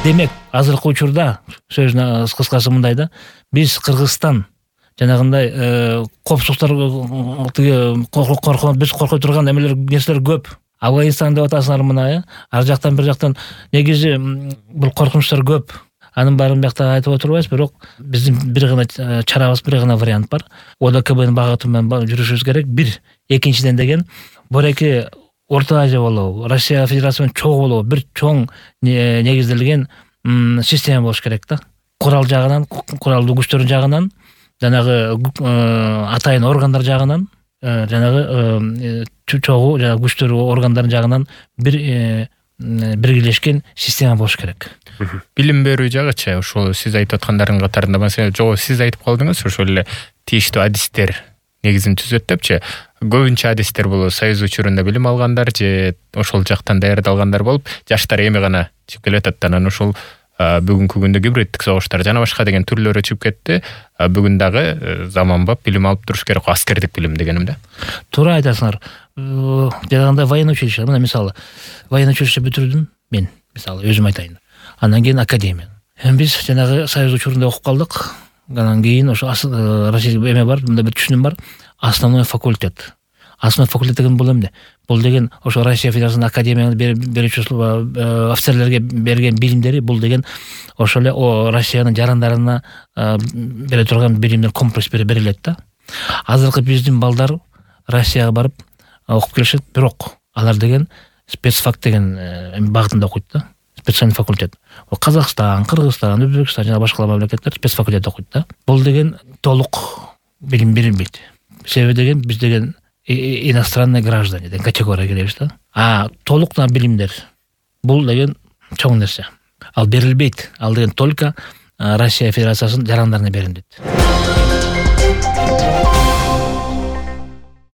Демек, азыркы учурда сөздүн кыскасы мындай да, биз Кыргызстан жанагындай коопсуздуктар биз коркой турган нерселер көп. Афганистан деп атасыңар мына, ар жактан бир жактан негизи бул коркунучтар көп. Анын баарын бияктан айтып отурбайбыз, бирок биздин бир гана чарабыз, бир гана вариант бар. ОДКБнын багыты менен жүрүшүбүз керек. Бир, экинчиден деген бореки Орто Азия болобу, Россия Федерациясынын чогуу болобу, бир чоң негизделген система болуш керек да. Курал жагынан, куралдуу күчтөрүн жагынан, жанагы атайын органдар жагынан, жанагы чогуу күчтөр органдарын жагынан биргелешкен система болуш керек. Билим берүү жагычы ошол сиз айтып аткандардын катарында маселе жок, сиз айтып калдыңыз, ошол эле тийиштүү адистер негизин түзөт депчи. Көбүнчө адистер бул Союз учурунда билим алгандар же ошол жактан даярдалгандар болуп, жаштар эми гана чыгып келатат. Анан ошол бүгүнкү күндө гибриддик согуштар жана башка деген түрлөрү чыгып кетти. Бүгүн дагы заманбап билим алып туруш керек, аскердик билим дегеним да. Туура айтасыңар. Жанагындай военный училище, мына мисалы, военный училище бүтүрдүм мен, мисалы өзүм айтайын. Андан кийин академия. Биз жанагы Союз учурунда окуп калдык. Андан кийин ошо Россия эме бар, мындай бир түшүнүм бар. Основной факультет. Основной факультет деген бул эмне? Бул деген ошо Россия Федерациясынын академияны берүүчү офицерлерге берген билимдери, бул деген ошо эле Россиянын жарандарына бере турган билимдер комплекс берилет да. Азыркы биздин балдар Россияга барып окуп келишет, бирок алар деген спецфак деген багытында окуйт да. Специальный факультет. Казакстан, Кыргызстан, Өзбекстан жана башка мамлекеттер спецфакультет окуйт да. Бул деген толук билим берилбейт. Себеби деген биз деген иностранный граждане деген категорияга киребиз да. Толук билимдер бул деген чоң нерсе. Ал берилбейт. Ал деген только Россия Федерациясынын жарандарына берилет.